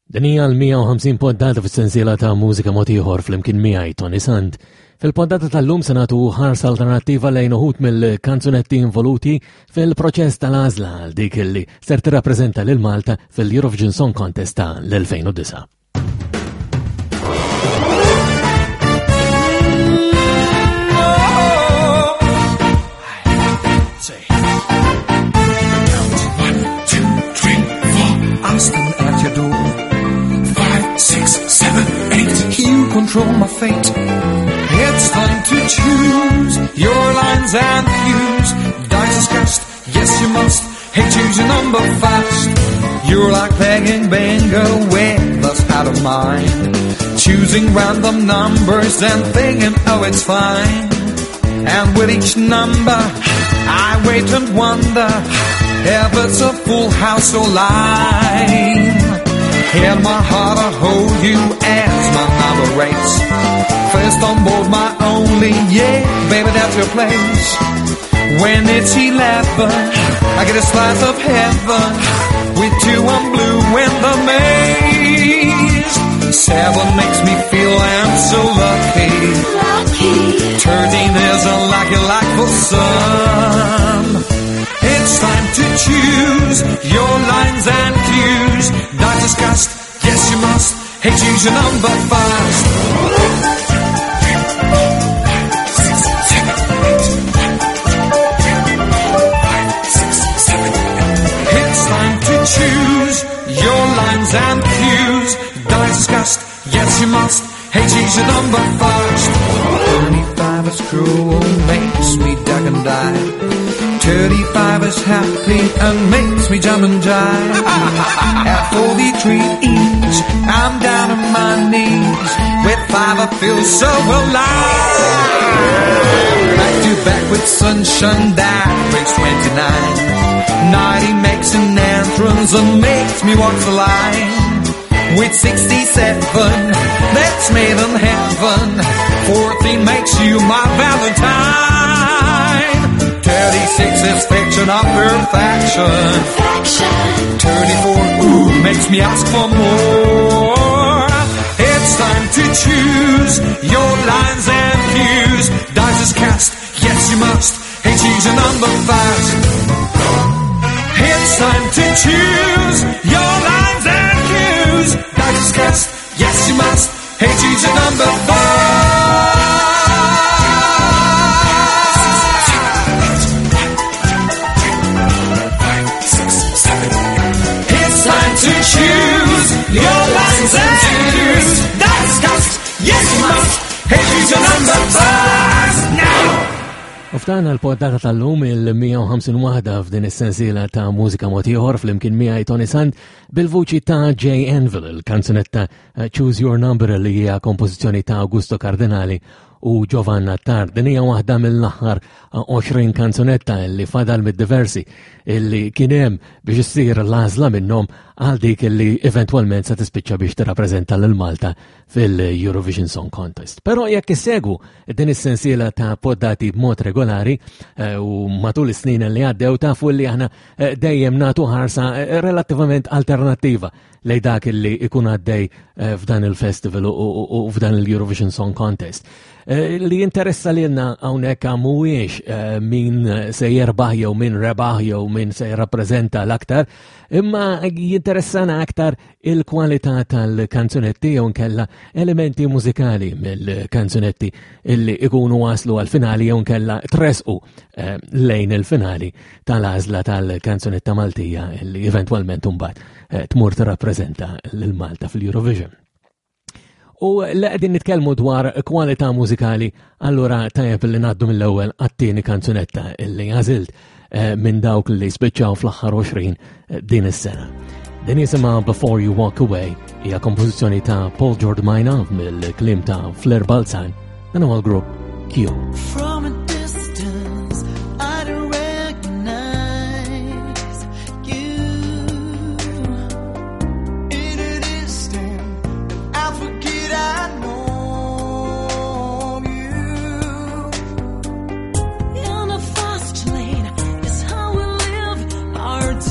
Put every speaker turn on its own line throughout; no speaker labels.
Din hija l-150 poddata fis-sensiela ta' mużika mod ieħor flimkien miegħi Tony Sant. Fil-poddata tal-lum se nagħtu ħarsa alternattiva lejn uħud mill-kanzunetti involuti fil-proċess tal-għażla għal dik li ser tirrappreżenta lil Malta fil-Eurovision Song Contest ta' l-2009.
Control my fate. It's time to choose your lines and cues. Dice is cast, yes you must. Hey, choose your number fast. You're like playing bingo with us out of mind. Choosing random numbers and thinking, oh, it's fine. And with each number, I wait and wonder if it's a full house or line. In my heart, I hold you as my number rates. First on board, my only, yeah, baby, that's your place. When it's 11, I get a slice of heaven. With you, I'm blue in the maze. 7 makes me feel I'm so lucky.
Lucky.
13 is a lucky luck for some. It's time to choose your lines and cues. Dice is cast, yes you must. Hey, choose your number fast. 6, 7, 8. It's time to choose your lines and cues. Dice is cast, yes you must. Hey, choose your number fast. 35 is cruel, makes me duck and dive. 35 is happy and makes me jump and jive. At 43 each, I'm down on my knees. With 5 I feel so alive. Back to back with sunshine that brings 29. 90 makes an entrance and makes me walk the line. With 67, that's made in heaven. 14 makes you my Valentine. 36 is fiction of perfection.
Perfection.
34, ooh, makes me ask for more. It's time to choose your lines and cues. Dice is cast, yes you must. Hey, choose your number fast. It's time to choose your lines and cues. Dice is cast, yes you must. Hey, choose your number fast. It's time to choose your lines and cues. Dice is cast, yes you must. Hey, choose your number fast now.
U f'dan l-poddata tal-lum il-150 waħda f'din is-sensiela ta' mużika mod ieħor flimkien miegħi Tony Sant bil-vuċi ta' Jay Anvil, il-kanzunetta Choose Your Number li hija kompożizzjoni ta' Augusto Cardinali u Giovanna Attard. Din hija waħda mill-aħħar 20 kanzunetta li fadal mid-diversi illi kien hemm biex issir l-għażla minnhom għal dik illi eventwalment se tispiċċa biex tirrappreżenta lil Malta fil-Eurovision Song Contest. Però jekk issegwu din is-sensiela ta' poddati b'mod regolari u matul is-snin li għaddew tafu li aħna dejjem nagħtu ħarsa relattivament alternattiva lej dak li ikun għaddej f'dan il-festival u f'dan il-Eurovision Song Contest. Li jinteressa lilna hawnhekk mhuwiex min se jerbaħ jew min rebaħ jew min se jirrappreżenta l-aktar, imma jinteressana aktar il-kwalità tal-kanzunetti jew nkella elementi mużikali mill-kanzunetti illi ikunu waslu għal-finali jew nkella tresqu lejn il-finali tal-għażla tal-kanzunetta Maltija illi eventwalment imbagħad tmur tirrappreżenta lil Malta fil-Eurovision. U li qegħdin nitkellmu dwar kwalità mużikali, allura tajjeb li ngħaddu mill-ewwel għat-tieni kanzunetta illi għażilt minn dawk li spiċċaw fl-aħħar 20 din is-sena. Din jisimha Before You Walk Away, hija kompożizzjoni ta' Paul Giordmaina mill-kliem ta' Fleur Balzan, dan huwa l-grupp Q.
From a distance I don't recognize you. In an instant I forget I know you.
In a fast lane is how we live our days.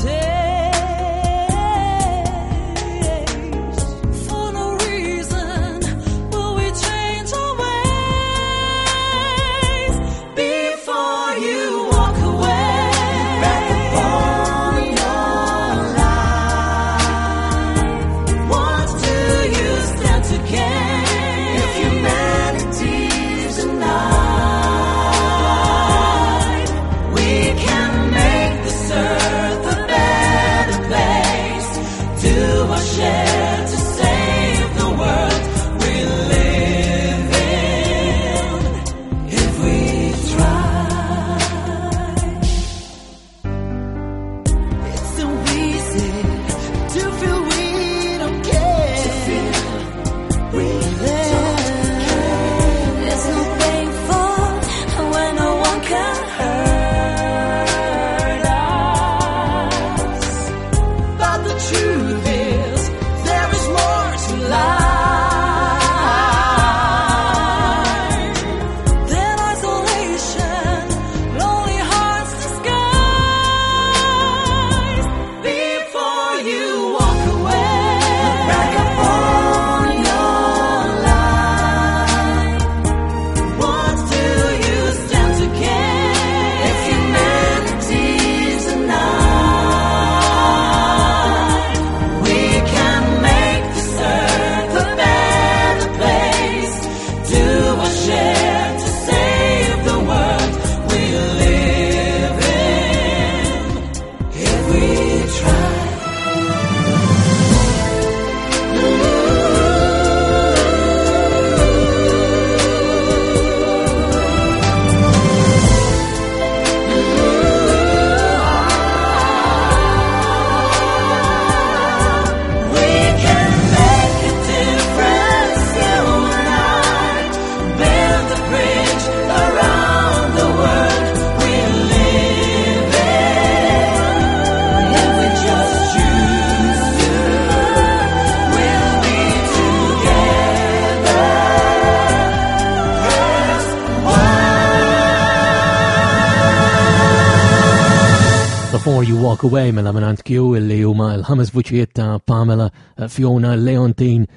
You Walk Away mela minn Q illi huma l-ħames vuċijiet ta' Pamela, Fiona, Leontine,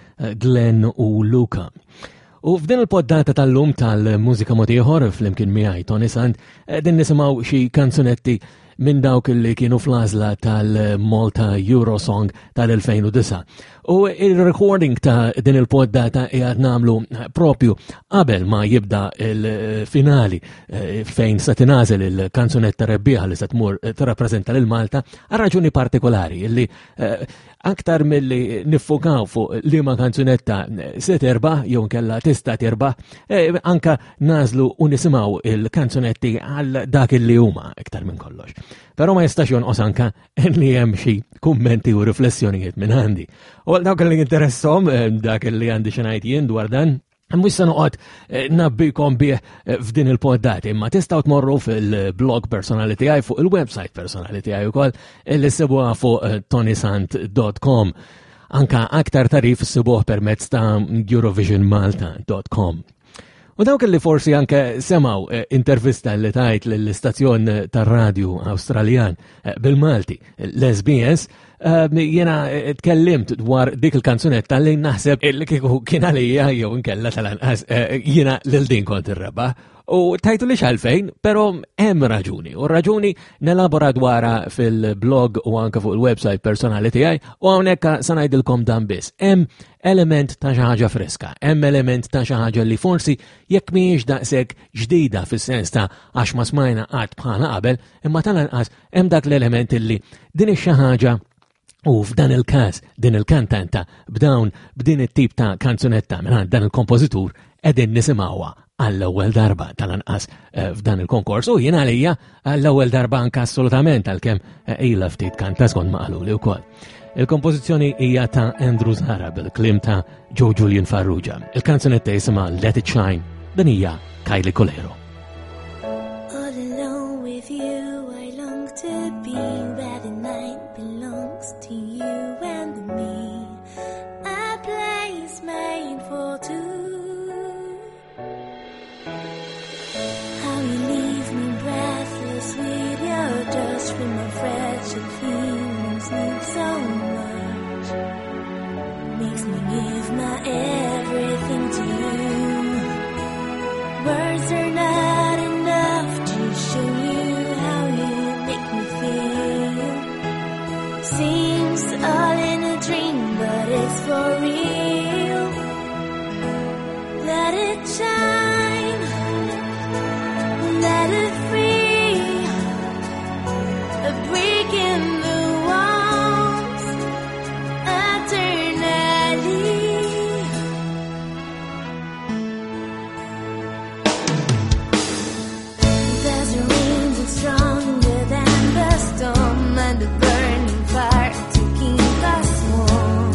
Glenn u Luca. U f'din il-poddata tal-lum tal-mużika mod ieħor flimkien miegħi Tony Sant din nisimgħu xi kanzunetti minn dawk li kienu fl-għażla tal-Malta Eurosong tal-2009. U il-recording ta' din il-poddata qiegħed nagħmlu propju qabel ma jibda il-finali eh, fejn se tingħażel il-kanzunetta rebbieħa li se tmur eh, tirrappreżenta lil Malta għal raġuni partikolari li eh, aktar milli niffukaw fuq liema kanzunetta se terbaħ jew nkella tista' terbaħ, eh, anka nażlu u nisimgħu il-kanzunetti għal dak li huma iktar minn kollox. Però ma jistax jonqos anka li hemm xi kummenti u riflessjonijiet minn għandi. U għal dawk li interessom eh, dak li għandi xi ngħid jien dwar dan, Mux se noqgħod eh, nabbikom bih eh, f'din il-poddati, imma tistgħu tmorru fil-blog personali tiegħi fuq il-website personali tiegħi wkoll eh, li ssibuha fuq tonisant.com. Anka aktar tarif sibuh permezz ta' eurovisionmalta.com. U dawk li forsi anke semaw intervista li tajt l-istazzjon tar-radju Awstraljan bil-Malti, l-SBS, Ehm, jena eh, tkellimt dwar dik il-kanzunetta li naħseb li kieku kien għalija jew inkella tal-anqas eh, jiena lil din kont irreba. U tajtu li xalfejn, pero hemm raġuni. U raġuni nelabora dwara fil-blog u anke fuq il-website personali tiegħi u hawnhekk sa ngħidilkom dan biss. Hemm element ta' xi ħaġa friska, hemm element ta' xi ħaġa li forsi jekk mhijiex daqshekk ġdida fis-sens ta' għax ma smajna qatt bħala qabel, imma tal-anqas hemm dak l-element illi din ix-xi ħaġa u f'dan il-każ din il-kantanta b'dawn b'din it-tip ta' kanzunetta minn dan il-kompożitur qegħdin nisimgħuha għall-ewwel darba tal-anqas eh, f'dan il-konkors u jien għalija għall-ewwel darba anke assolutament għalkemm eh, ilha ftit kanta skont ma qaluli wkoll. Il-kompożizzjoni hija ta' Andrew Zahra bil-kliem ta' Joe Julian Farrugia. Il-kanzunetta jisimha Let It Shine, din hija Kylie Colero.
All alone with you, I long to be where the night belongs to you and me. A place made for two. How you leave me breathless with your touch, feel my fragile feelings need so much. Makes me give my everything to you. Words are not enough to show you how you make me feel. Seems all in a dream, but it's for real. Let it shine, let it free. A break in the walls, eternally. There's a rain stronger than the storm and a burning fire to keep us warm.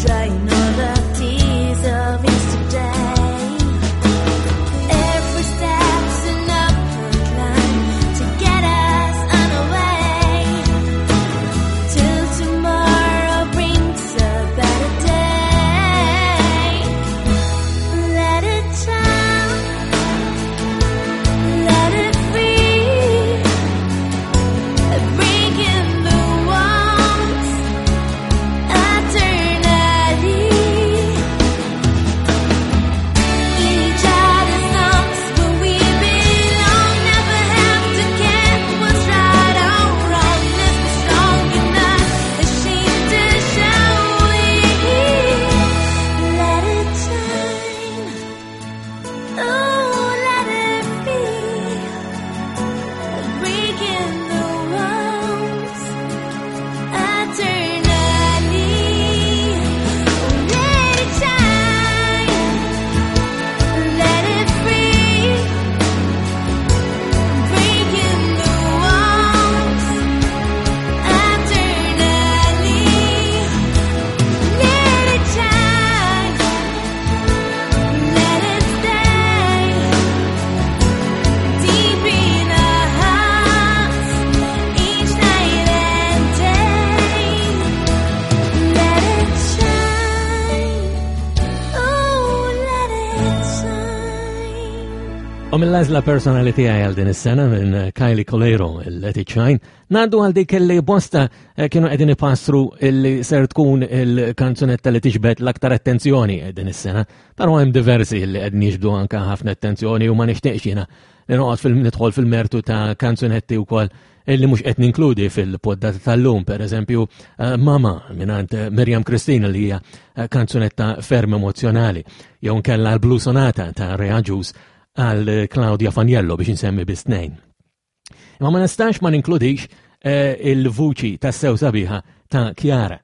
Drying all the tears of yesterday.
U mill-għażla personali tiegħi għal din is-sena minn Kylie Coleiro, il-Let It Shine, ngħaddu għal dik li bosta eh, kienu qegħdin ipassru li ser tkun il-kanzunetta li tiġbed l-aktar attenzjoni din is-sena. Però hemm diversi li qegħdin jiġbdu anke ħafna attenzjoni u ma nixtieqx jiena li noqgħod fil nidħol fil-mertu ta' kanzunetti wkoll illi mhux qed ninkludi fil-poddata tal-lum, per eżempju eh, Mama mingħand eh, Miriam Kristina li hija eh, kanzunetta ferm emozjonali, jew nkella l-Blue Sonata ta' Rea Ġus għal Claudia Faniello biex insemmi biss tnejn. Imma ma nistax ma ninkludix il-vuċi tas-sew sabiħa ta' Chiara.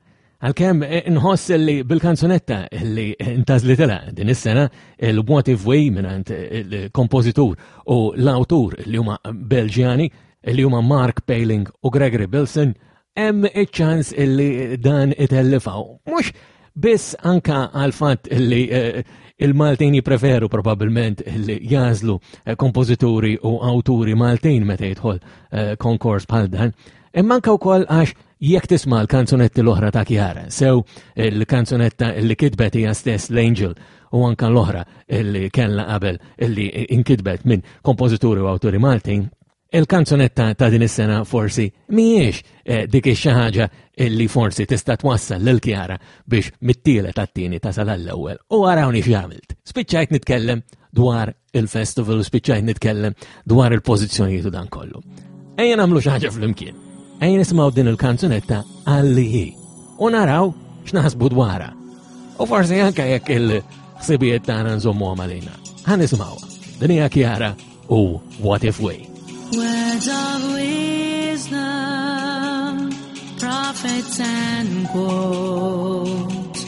Għalkemm inħoss li bil-kanzunetta li intażlitilha din is-sena il-What If We mingħand il-kompożitur u l-awtur li huma Belġjani li huma Mark Paling u Gregory Bilson hemm iċ-ċans li dan itellifaw. Mhux biss anka għal fatt li eh, il-Maltin jipreferu probabbilment li jażlu eh, kompożituri u awturi Maltin meta jidħol eh, konkors bħal dan, imma anka wkoll għax Jekk tisma' l-kanzunetti l-oħra ta' Chiara, sew il-kanzunetta li kitbet hija stess l-Angel u anka l-oħra li kellha qabel li inkitbet minn kompożituri u awturi Maltin, il-kanzunetta ta' din is-sena forsi mhijiex eh, dik ix ħaġa li forsi tista' twassal lil Chiara biex mit-tielet għat-tieni tasal għall-ewwel. U arawni x'għamilt. Spiċċajt nitkellem dwar il-festival u spiċċajt nitkellem dwar il-pożizzjonijiet u dan kollu. Ejja nagħmlu xi ħaġa flimkien. Ejja nisimgħu din il-kanzunetta għalli hi u naraw x'naħsbu dwarha. U forsi anke jekk il-ħsibijiet tagħna nżommuhom għalina. Ħa nisimgħuha. Din hija Chiara u What If We.
Words of wisdom, prophets and quotes,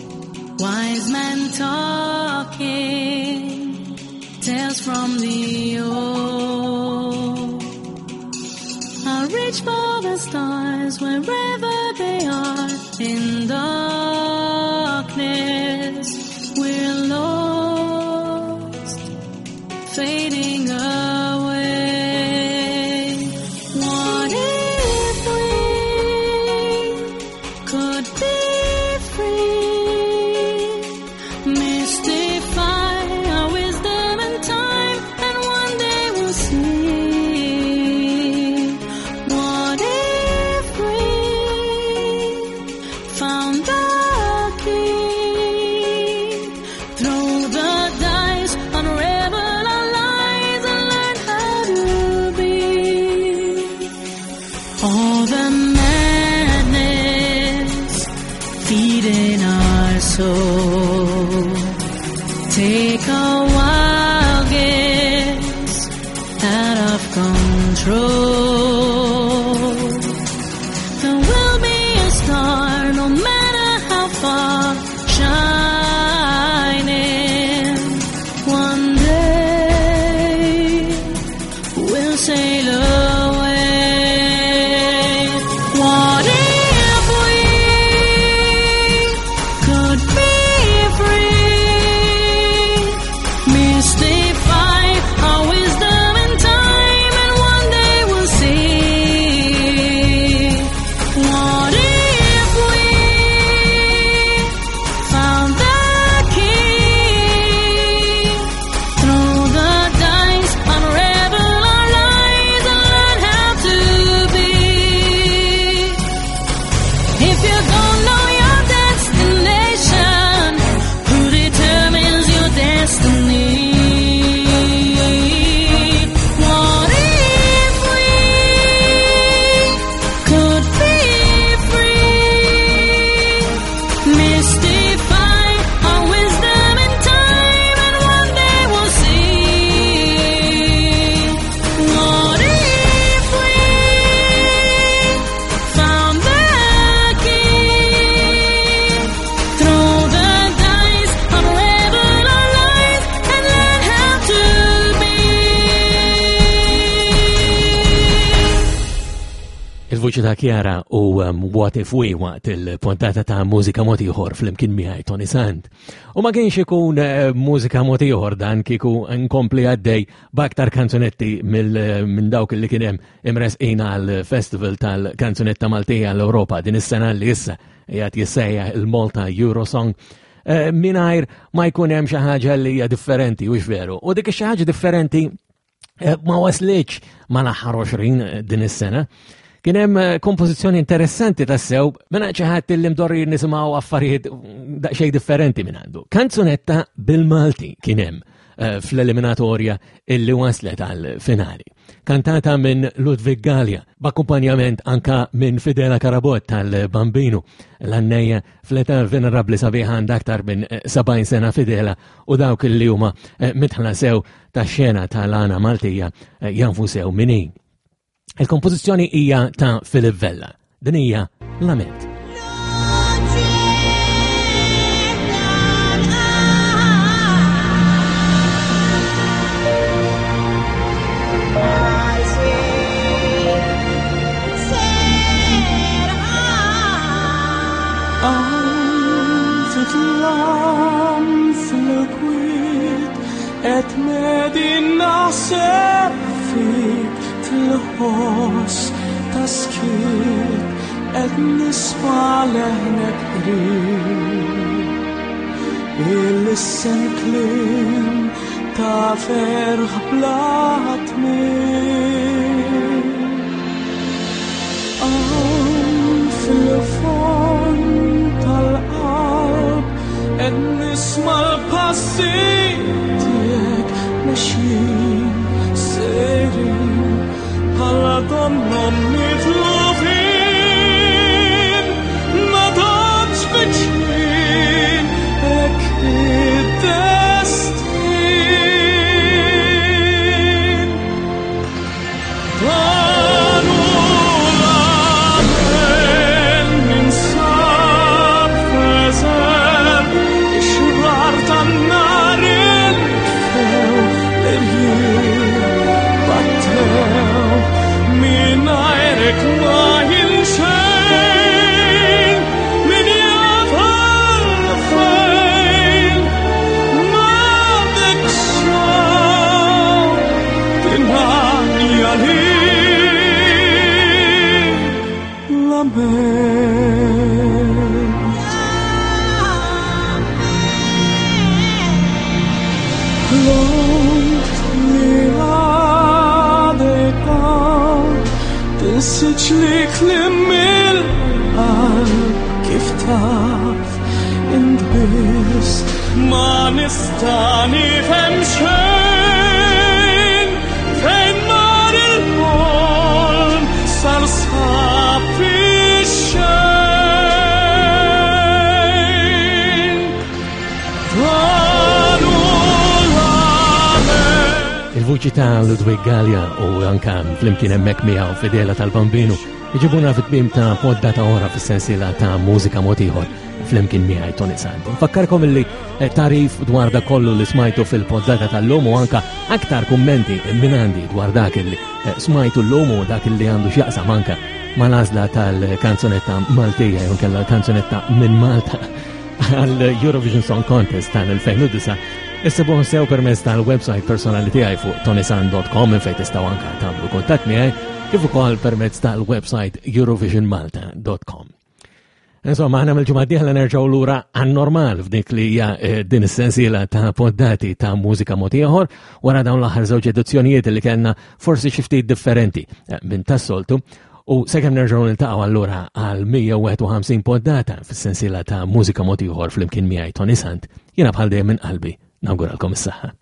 wise men talking, tales from the old. I reach for the stars wherever they are in darkness. We're lost, fading away. What if we could be free? Mystify our wisdom and time, and one day we'll see. What if we found the key? Throw the dice, unravel our lies, and learn how to be. All the madness feeding our soul. Take a wild guess out of control. There will be a star, no matter how far, shining. One day we'll sail away. What if we could be free? Mystify our wisdom and time, and one day we'll see. What if we found the key? Throw the dice, unravel our lies, and learn how to be. If you don't know your destination, who determines your destiny? What if we could be free? Mystify our wisdom and time, and one day we'll see. What if we found the key? Throw the dice, unravel our lies, and learn how to be.
Il-vuċi ta' Chiara u um, What If We waqt il-pontata ta' mużika mod ieħor flimkien miegħi Tony Sant. U ma kienx ikun eh, mużika mod ieħor dan kieku nkompli għaddej b'aktar kanzunetti eh, minn dawk li kien hemm imresqin għal festival tal-kanzunetta Maltija l-Ewropa din is-sena li issa qiegħed jissejjaħ il-Malta Eurosong eh, mingħajr ma jkun hemm xi ħaġa li hija differenti u veru. U dik ix-xi ħaġa differenti Eh, ma waslitx mal-aħħar 20 eh, din is-sena. Kien hemm eh, kompożizzjoni interessanti tassew minn xi ħadd li mdorri nisimgħu affarijiet daqsxejn differenti minn għandu. Kanzunetta bil-Malti kien hemm fl-eliminatorja illi waslet għal finali. Kantata minn Ludwig Gallia, b'akkumpanjament anka minn Fidela Karabot tal-Bambinu, l-annejja fl-età venerabli sabiħa għandha aktar minn 70 sena Fidela u dawk li huma mitħla sew tax-xena tal-għana Maltija eh, jafu sew min hi. Il-kompożizzjoni hija ta' Philip Vella. Din hija Lament.
Qed medin naħseb fik fil-ħoss ta' skiet qed nisma' leħnek qrib. Il-lissen kliem ta' ferħ bla tmiem. Hawn fil-fond tal-qalb qed nisma' l-passi tiegħek mexjin sejrin bħala donnhom mitlufin ma tantx viċin hekk id-destin. Dan hu l-għamel ninsab f'eżer ix-xrar tan-nar intfew l-irjieħ battew mingħajrek ma jien xejn min jaf għalfejn m'għandek xejn tingħanja li lament. Lont li għadek hawn tinsiġ li kliem il-qalb kif taf int biss ma nista' nifhem xejn fejn mar il-ħolm sar sab fix-xejn. Dan hu l-għamel.
Il-vuċi ta' Ludwig Gallia u anka flimkien hemmhekk miegħu Fidela tal-Bambinu iġibuna fit-tmiem ta' poddata ora fis-sensiela ta' mużika mod ieħor flimkien miegħi Tony Sant. Nfakkarkom illi eh, tarif dwar dak kollu li smajtu fil-poddata tal-lum u anka aktar kummenti minn għandi dwar dak illi eh, smajtu l-lum u dak illi għandu x'jaqsam anka mal-għażla tal-kanzunetta Maltija jew kellha l-kanzunetta minn Malta għal Eurovision Song Contest tal-2009 Issibuh sew permezz tal-website personali tiegħi fuq tonisan.com minn fejn tistgħu anka tagħmlu kuntatt miegħi kif ukoll permezz tal-website eurovisionmalta.com. Insomma, aħna mill-ġimgħa d-dieħla nerġgħu lura għan-normal f'dik li hija eh, din is-sensiela ta' poddati ta' mużika mod ieħor wara dawn l-aħħar żewġ edizzjonijiet li kellna forsi xi ftit differenti eh, minn tas-soltu. U sakemm nerġgħu niltaqgħu allura għal 151 poddata fis-sensiela ta' mużika mod ieħor flimkien miegħi Tony Sant, jiena bħal dejjem minn qalbi nawguralkom is-saħħa.